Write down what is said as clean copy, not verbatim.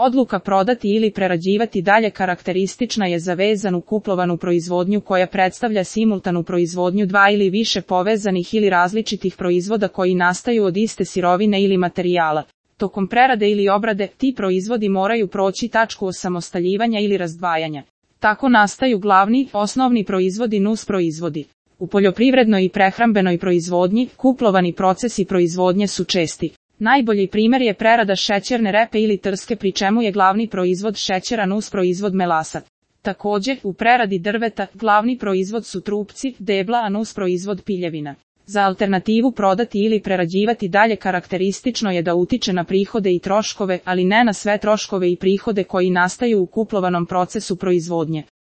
Odluka prodati ili prerađivati dalje karakteristična je za vezanu kuplovanu proizvodnju koja predstavlja simultanu proizvodnju dva ili više povezanih ili različitih proizvoda koji nastaju od iste sirovine ili materijala. Tokom prerade ili obrade, ti proizvodi moraju proći tačku osamostaljivanja ili razdvajanja. Tako nastaju glavni, osnovni proizvodi i nusproizvodi. U poljoprivrednoj i prehrambenoj proizvodnji, kuplovani procesi proizvodnje su česti. Najbolji primjer je prerada šećerne repe ili trske pri čemu je glavni proizvod šećera nusproizvod melasat. Također, u preradi drveta, glavni proizvod su trupci, debla a nusproizvod piljevina. Za alternativu prodati ili prerađivati dalje karakteristično je da utiče na prihode i troškove, ali ne na sve troškove i prihode koji nastaju u kuplovanom procesu proizvodnje.